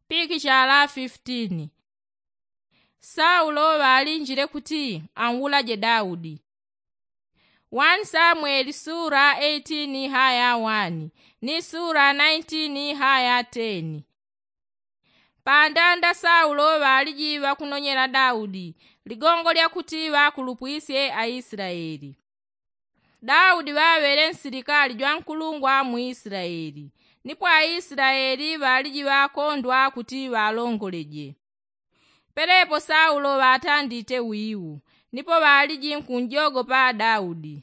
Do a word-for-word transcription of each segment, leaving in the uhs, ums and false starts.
Pikichala fifitini. Saulo ŵalinjile kuti anwulaje daudi. Wani samweli sura eighteen haya wani ni sura nineteen haya ten. Pandanda saulo ŵaliji ŵakunonyela daudi ligongo lya kuti ŵakulupwisye aislaeli. Daudi ŵaŵele nsilikali jwankulungwa mu islaeli. Nipo aislaeli ŵaliji ŵakondwa kuti ŵalongoleje. Pelepo saulo ŵatandite wiu nipo ŵaliji nkunjogopa daudi.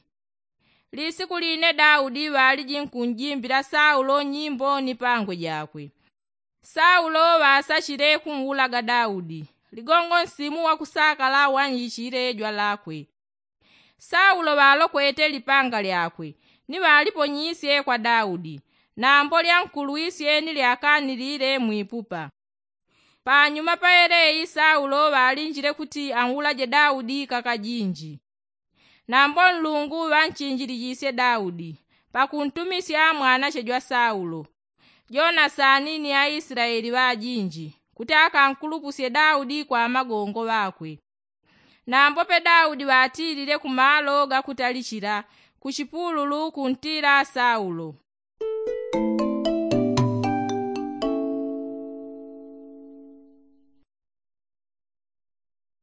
Lisiku line daudi ŵaliji nkunjimbila saulo nyimbo ni pangwe jakwe. Saulo ŵasachile kunwulaga daudi ligongo nsimu wakusakala wanyichile jwalakwe. Saulo ŵalokwete lipanga lyakwe ni ŵaliponyisye kwa daudi. Nambo lyankulwisye ni lyakanilile mwipupa. Panyuma paeleyi saulo ŵalinjile kuti anwulaje daudi kakajinji. Nambo nlungu ŵanchinjilijisye daudi pakuntumisya mwanache jwa saulo jonasani ni aislaeli ŵajinji kuti akankulupusye daudi kwa amagongo ŵakwe. Nambo pe daudi ŵatilile kumalo gakutalichila kuchipululu kuntila saulo.